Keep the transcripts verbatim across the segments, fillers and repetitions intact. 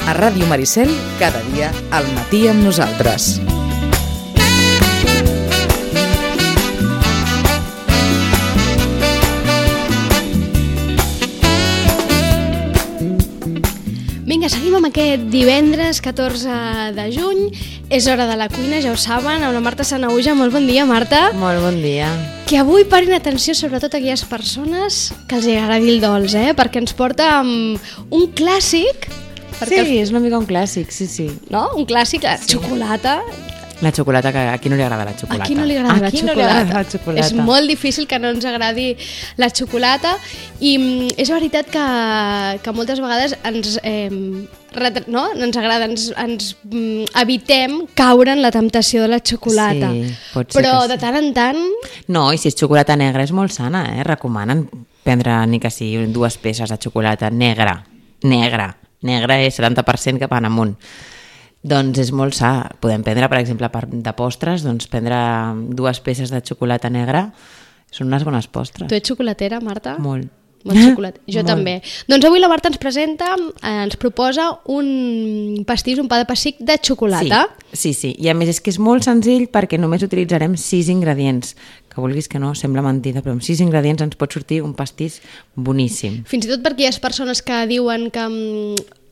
A Ràdio Maricel, cada dia al matí amb nosaltres. Vinga, seguim amb aquest divendres catorze de juny. És hora de la cuina, ja ho saben, amb la Marta Sanahuja. Molt bon dia, Marta. Molt bon dia. Que avui parin atenció sobretot a aquelles persones que els agradi el dolç, eh? Perquè ens porta um, un clàssic. Sí, el... és una mica un clàssic, sí, sí. No? Un clàssic, la sí. xocolata. La xocolata, que a qui no li agrada la xocolata? A qui no li agrada, la, qui xocolata? No li agrada la xocolata? És molt difícil que no ens agradi la xocolata i mm, és veritat que, que moltes vegades ens, eh, retra... no? ens agrada, ens, ens mm, evitem caure en la temptació de la xocolata. Sí, pot ser però sí. de tant en tant... No, i si és xocolata negra és molt sana, eh? Recomanen prendre ni que sigui dues peces de xocolata negra. Negra. Negra és setanta per cent cap en amunt. Doncs és molt sa. Podem prendre, per exemple, de postres, doncs prendre dues peces de xocolata negra són unes bones postres. Tu ets xocolatera, Marta? Molt. Molt xocolat. Jo Molt. també. Doncs avui la Marta ens presenta, eh, ens proposa un pastís, un pa de pessic de xocolata. Sí, sí, sí. I a més és que és molt senzill perquè només utilitzarem sis ingredients. Que vulguis que no, sembla mentida, però amb sis ingredients ens pot sortir un pastís boníssim. Fins i tot perquè hi ha persones que diuen que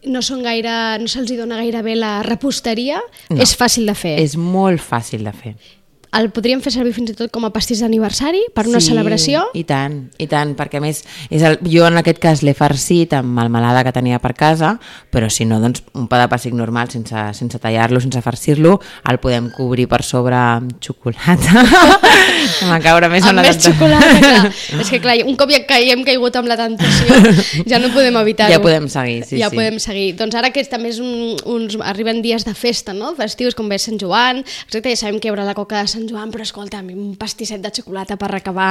no són gaire, no se'ls dona gaire bé la reposteria, no. És fàcil de fer. És molt fàcil de fer. El podríem fer servir fins i tot com a pastís d'aniversari per una sí, celebració? i tant, i tant, perquè a més és el, jo en aquest cas l'he farcit amb melmelada que tenia per casa, però si no, doncs un pa de pessic normal sense, sense tallar-lo, sense farcir-lo, el podem cobrir per sobre amb xocolata. M'ha caure més amb una més xocolata, clar. És que clar, un cop ja que hem caigut amb la tentació, ja no podem evitar-ho. Ja podem seguir, sí, ja sí. podem seguir. Doncs ara que també és un, uns, arriben dies de festa, no? Festius, com ve Sant Joan, exacte, ja sabem que hi haurà la coca de Sant Joan, però escolta, un pastisset de xocolata per acabar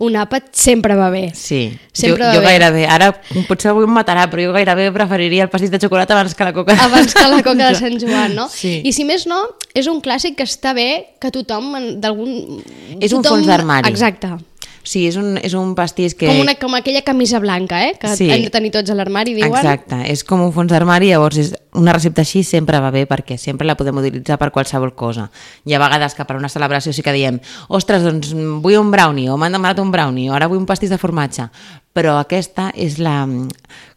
un àpat sempre va bé. Sí, sempre jo, va jo bé. gairebé, ara potser avui em matarà, però jo gairebé preferiria el pastís de xocolata abans que la coca. Abans que la coca de Sant Joan, no? Sí. I si més no, és un clàssic que està bé que tothom, d'algun... És un tothom... fons d'armari. Exacte. Sí, és un, és un pastís que... Com, una, com aquella camisa blanca, eh? Que sí. hem de tenir tots a l'armari, diuen. Exacte, és com un fons d'armari, llavors és una recepta així sempre va bé perquè sempre la podem utilitzar per qualsevol cosa. Hi ha vegades que per una celebració sí que diem ostres, doncs vull un brownie, o m'han demanat un brownie, o ara vull un pastís de formatge, però aquesta és la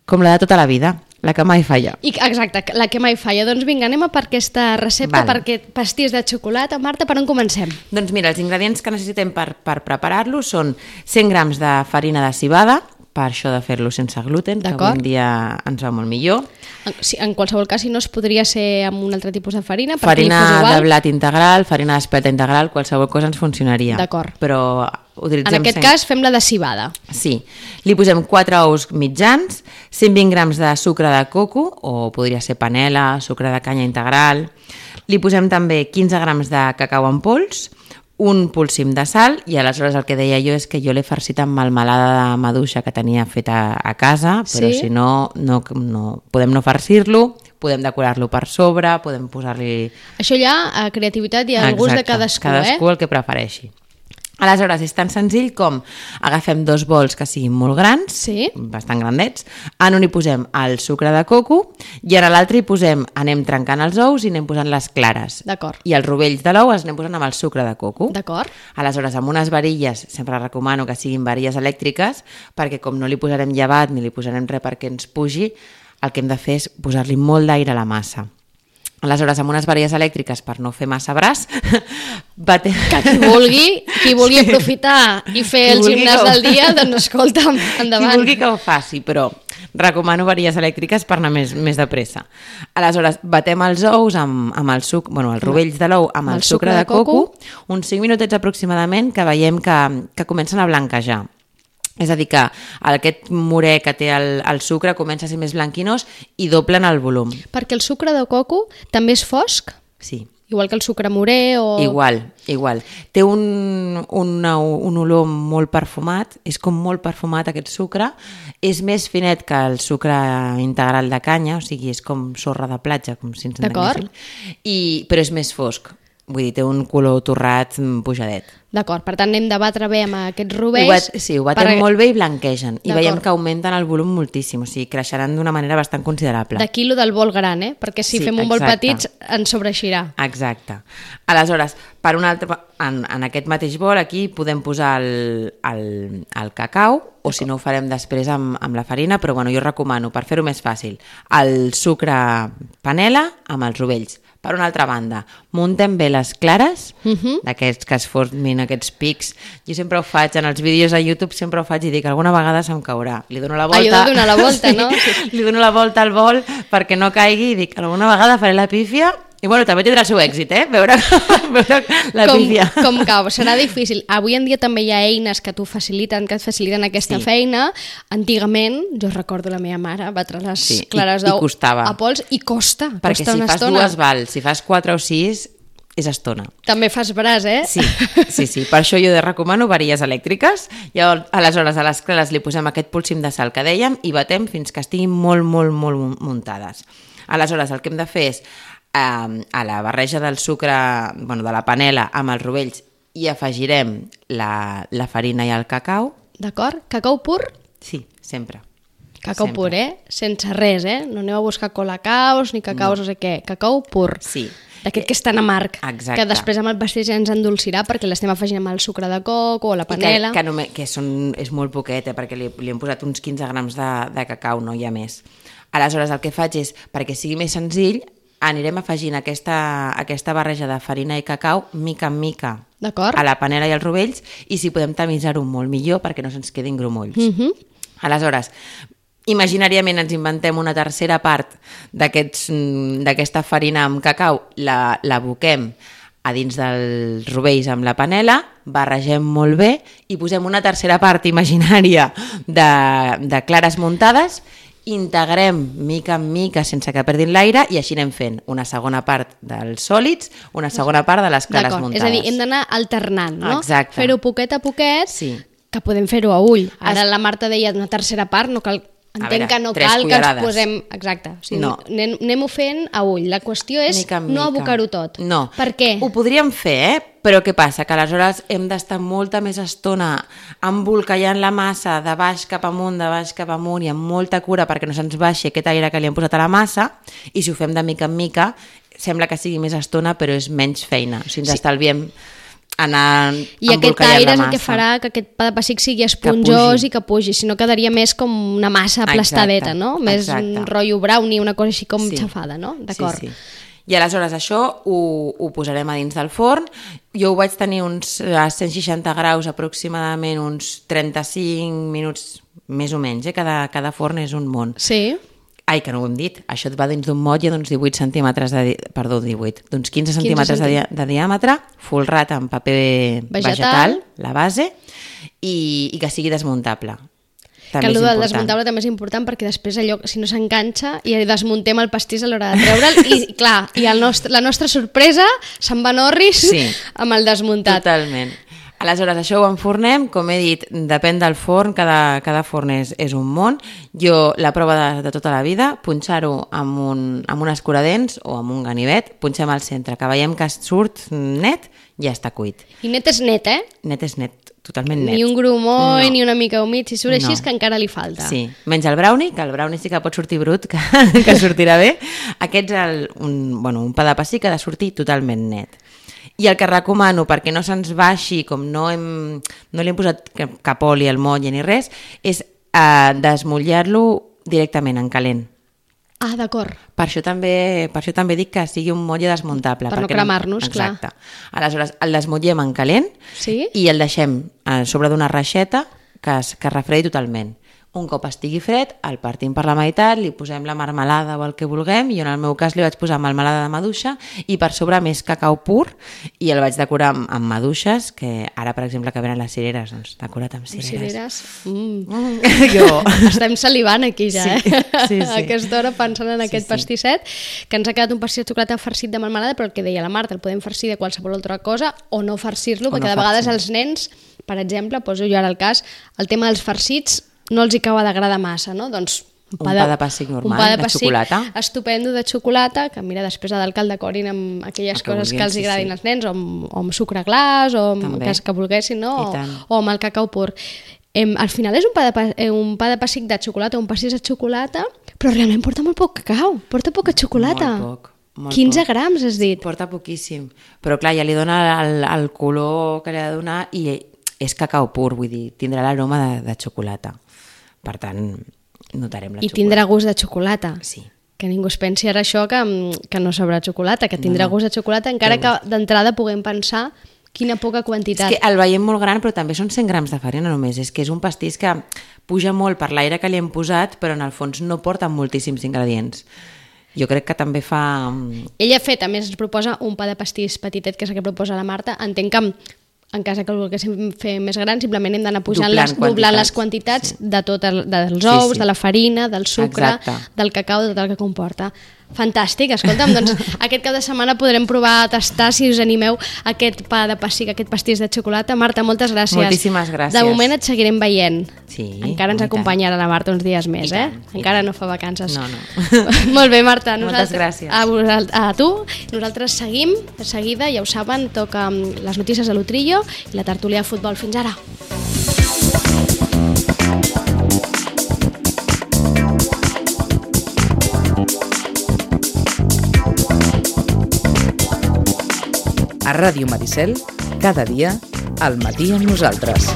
com la de tota la vida, la que mai falla. I, exacte, la que mai falla. Doncs vinga, anem a per aquesta recepta, vale. Per aquest pastís de xocolata. Marta, per on comencem? Doncs mira, els ingredients que necessitem per, per preparar-lo són cent grams de farina de civada, per això de fer-lo sense gluten, que avui en dia ens va molt millor. En, si, en qualsevol cas, si no, es podria ser amb un altre tipus de farina, farina li fos igual. De blat integral, farina d'espelta integral, qualsevol cosa ens funcionaria. D'acord. Però utilitzem... En aquest cent... cas fem la de civada. Sí. Li posem quatre ous mitjans, cent vint grams de sucre de coco, o podria ser panela, sucre de canya integral. Li posem també quinze grams de cacau en pols, un polsim de sal, i aleshores el que deia jo és que jo l'he farcit amb melmelada de maduixa que tenia feta a casa, però sí? si no, no, no podem no farcir-lo, podem decorar-lo per sobre, podem posar-li... Això ja, a creativitat i al gust de cadascú, cadascú eh? Cadascú el que prefereixi. Aleshores, és tan senzill com agafem dos bols que siguin molt grans, sí? bastant grandets, en un hi posem el sucre de coco i en l'altre hi posem, anem trencant els ous i anem posant les clares. D'acord. I els rovells de l'ou els anem posant amb el sucre de coco. D'acord. Aleshores, amb unes varilles, sempre recomano que siguin varilles elèctriques, perquè com no li posarem llevat ni li posarem res perquè ens pugi, el que hem de fer és posar-li molt d'aire a la massa. Aleshores, amb unes varilles elèctriques per no fer massa braç, batem... Que qui vulgui, qui vulgui aprofitar i fer el gimnàs del dia, doncs escolta'm, endavant. Qui vulgui que ho faci, però recomano varilles elèctriques per anar més, més de pressa. Aleshores, batem els ous amb, amb el suc, bueno, els rovells de l'ou amb el, el sucre de coco, uns cinc minutets aproximadament, que veiem que, que comencen a blanquejar. És a dir, que aquest morè que té el, el sucre comença a ser més blanquinós i doblen el volum. Perquè el sucre de coco també és fosc? Sí. Igual que el sucre morè o... Igual, igual. Té un, un, un olor molt perfumat, és com molt perfumat aquest sucre, és més finet que el sucre integral de canya, o sigui, és com sorra de platja, com si ens entenguéssim, i, però és més fosc. Vull dir, té un color torrat pujadet. D'acord, per tant anem de batre bé amb aquests Ho rovells. bat, sí, ho batem per... molt bé i blanquegen. I D'acord. veiem que augmenten el volum moltíssim, o sigui, creixeran d'una manera bastant considerable. D'aquí lo del bol gran, eh? Perquè si Sí, fem un bol exacte. petit ens sobreeixirà. Exacte. Aleshores, per un altre, en, en aquest mateix bol aquí podem posar el, el, el cacau, o si no ho farem després amb, amb la farina, però bueno, jo recomano, per fer-ho més fàcil, el sucre panela amb els rovells. Per una altra banda, muntem bé les clares, uh -huh. d'aquests que es formin aquests pics. Jo sempre ho faig, en els vídeos a YouTube sempre ho faig i dic, alguna vegada se'm caurà. Li dono la volta... Allò de donar la volta, sí, no? Sí. Li dono la volta al bol perquè no caigui i dic, alguna vegada faré la pífia. I bueno, també tindrà el seu èxit, eh? Veure, veure la com, pífia. com cau, serà difícil. Avui en dia també hi ha eines que t'ho faciliten, que et faciliten aquesta Sí. feina. Antigament, jo recordo la meva mare batre les Sí, i- clares i d'ou costava. a pols i costa, Perquè costa si una fas estona. dues val, si fas quatre o sis, és estona. També fas braç, eh? Sí, sí, sí. Per això jo recomano varilles elèctriques. I aleshores a les clares li posem aquest polsim de sal que dèiem i batem fins que estiguin molt, molt, molt muntades. Aleshores el que hem de fer és eh, a la barreja del sucre, bueno, de la panela amb els rovells i afegirem la, la farina i el cacau. D'acord? Cacau pur? Sí, sempre. Cacau Sempre. pur, eh? Sense res, eh? No aneu a buscar colacaos ni cacaus, no, no sé què. Cacau pur. Sí. D'aquest que és tan amarg, Exacte. que després amb el pastís ja ens endolcirà perquè l'estem afegint amb el sucre de coco o la panela. I que, que, només, que són, és molt poquet, eh, perquè li, li hem posat uns quinze grams de, de cacau, no hi ha més. Aleshores el que faig és, perquè sigui més senzill, anirem afegint aquesta, aquesta barreja de farina i cacau mica en mica D'acord. a la panela i als rovells, i si podem tamisar-ho molt millor perquè no se'ns quedin grumolls. Uh -huh. Aleshores, imaginàriament ens inventem una tercera part d'aquests, d'aquesta farina amb cacau, la, la aboquem a dins dels rovells amb la panela, barregem molt bé i posem una tercera part imaginària de, de clares muntades, integrem mica en mica sense que perdin l'aire i així anem fent una segona part dels sòlids, una segona part de les clares D'acord. muntades. És a dir, hem d'anar alternant, no? Exacte. Fer-ho poquet a poquet, Sí. que podem fer-ho a ull. Ara la Marta deia una tercera part, no cal... Entenc veure, que no tres cal que ens cullerades. posem... Exacte. O sigui, No. anem, anem-ho fent a ull. La qüestió és Mica en no mica. abocar-ho tot. No. Per què? Ho podríem fer, eh? Però què passa? Que aleshores hem d'estar molta més estona embolcallant la massa de baix cap amunt, de baix cap amunt i amb molta cura perquè no se'ns baixi aquest aire que li hem posat a la massa, i si ho fem de mica en mica sembla que sigui més estona però és menys feina. O sigui, ens Sí. estalviem anar I aquest embolcallant aire la és el massa. que farà que aquest pa de pessic sigui esponjós pugi. i que pugi, si no quedaria més com una massa aplastadeta, Exacte, no? Més exacte. un rotllo brownie, una cosa així com Sí. xafada, no? D'acord. Sí, sí. I aleshores això ho, ho posarem a dins del forn. Jo ho vaig tenir uns a cent seixanta graus aproximadament, uns trenta-cinc minuts més o menys, eh? cada, cada forn és un món. Sí. Ai, que no ho hem dit, això et va dins d'un motlle d'uns divuit centímetres de... Di... Perdó, divuit, d'uns quinze centímetres de, di... de diàmetre, folrat amb paper Vegetal. vegetal, la base, i, i que sigui desmuntable. També Que és allò del important. desmuntable també és important perquè després allò, si no s'enganxa, i desmuntem el pastís a l'hora de treure'l i, clar, i el nostre, la nostra sorpresa se'n van orris Sí. amb el desmuntat. Totalment. Aleshores, això ho enfornem, com he dit, depèn del forn, cada, cada forn és, és un món. Jo, la prova de, de tota la vida, punxar-ho amb un, amb un escuradents o amb un ganivet, punxem al centre, que veiem que surt net, ja està cuit. I net és net, eh? Net és net, totalment net. Ni un grumoll, No. ni una mica humit, si surt així No. és que encara li falta. Sí, menys el brownie, que el brownie sí que pot sortir brut, que, que sortirà bé. Aquest és el, un, bueno, un pa de pessic que ha de sortir totalment net. I el que recomano, perquè no se'ns baixi, com no, hem, no li hem posat cap, cap oli al motlle ni res, és eh, desmotlllar-lo directament en calent. Ah, d'acord. Per això també, per això també dic que sigui un motlle desmuntable. Per no perquè cremar-nos, clar. Exacte. Aleshores, el desmotllem en calent Sí? i el deixem a sobre d'una reixeta que es, que es refredi totalment. Un cop estigui fred, el partim per la meitat, li posem la marmelada o el que vulguem, i en el meu cas li vaig posar marmelada de maduixa i per sobre més cacau pur, i el vaig decorar amb, amb maduixes, que ara, per exemple, que venen les cireres, doncs decorat amb cireres. Cireres. Mm. Mm. Jo... Estem salivant aquí ja, Sí, eh? sí, sí. A aquesta hora pensant en Sí, aquest sí. pastisset, que ens ha quedat un pastís de xocolata farcit de melmelada, però el que deia la Marta, el podem farcir de qualsevol altra cosa o no farcir-lo, O perquè no de vegades farcir. els nens, per exemple, poso jo ara el cas, el tema dels farcits no els hi acaba d'agradar massa, no? Doncs Un pa de, pa de pessic normal, un pa de, de pessic xocolata. estupendo de xocolata, que mira, després de del decorin amb aquelles El que coses que vulguin, els sí, agradin sí. als nens, o amb, o amb sucre glaç, o amb També. que, que volguessin, no? I O, tant. o amb el cacau pur. Em, al final és un pa, de, pa- eh, un pa de pessic de xocolata, un pastís de xocolata, però realment porta molt poc cacau, porta poca xocolata. Molt poc. Molt quinze poc. grams, has dit. Porta poquíssim. Però clar, ja li dona el, el color que li ha de donar i és cacau pur, vull dir, tindrà l'aroma de, de xocolata. Per tant, notarem la I xocolata. tindrà gust de xocolata. Sí. Que ningú es pensi ara això que, que no sabrà xocolata, que tindrà No, no. gust de xocolata, encara que d'entrada puguem pensar quina poca quantitat. És que el veiem molt gran, però també són cent grams de farina només. És que és un pastís que puja molt per l'aire que li hem posat, però en el fons no porta moltíssims ingredients. Jo crec que també fa... Ella ha fet, a més, ens proposa un pa de pastís petitet, que és el que proposa la Marta. Entenc que en cas que el volguéssim fer més gran, simplement hem d'anar pujant Doblant les, doblant les quantitats. quantitats sí. de tot el, dels Sí, ous, sí. de la farina, del sucre, Exacte. del cacau, de tot el que comporta. Fantàstic, escolta'm, doncs aquest cap de setmana podrem provar a tastar, si us animeu, aquest pa de pessic, aquest pastís de xocolata. Marta, moltes gràcies. Moltíssimes gràcies. De moment et seguirem veient. Sí, Encara ens i tant. acompanyarà la Marta uns dies més, I eh? tant, i Encara tant. no fa vacances. No, no. Molt bé, Marta. Moltes gràcies. A, vosal- a tu. Nosaltres seguim, de seguida, ja ho saben, toca mm, les notícies de l'Utrillo i la tertúlia de futbol. Fins ara. A Ràdio Maricel, cada dia, al matí amb nosaltres.